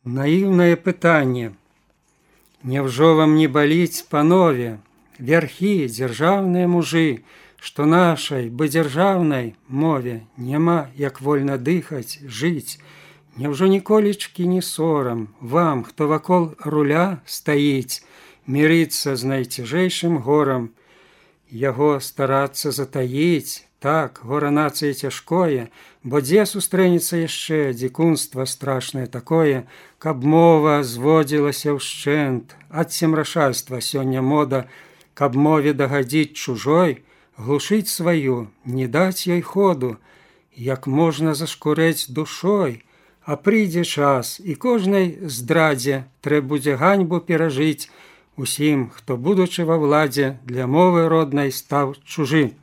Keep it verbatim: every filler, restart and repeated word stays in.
Наіўнае пытанне. Няўжо вам не баліць, панове, вярхі, дзяржаўныя мужы, што нашай бы дзяржаўнай мове няма як вольна дыхаць, жыць? Няўжо ніколечкі не сорам вам, хто вакол руля стаіць, мірыцца з найцяжэйшым горам, яго старацца затаіць? Так, гора нацыі цяжкое, бо дзе сустрэнецца яшчэ дзікунства страшнае такое, каб мова зводзілася ўшчэнт, ад семрашальства сёння мода, каб мове дагадзіць чужой, глушыць сваю, не даць ёй ходу, як можна зашкурэць душой, а прыйдзе час, і кожнай здрадзе трэ будзе ганьбу перажыць усім, хто, будучы ва ўладзе, для мовы роднай стаў чужы.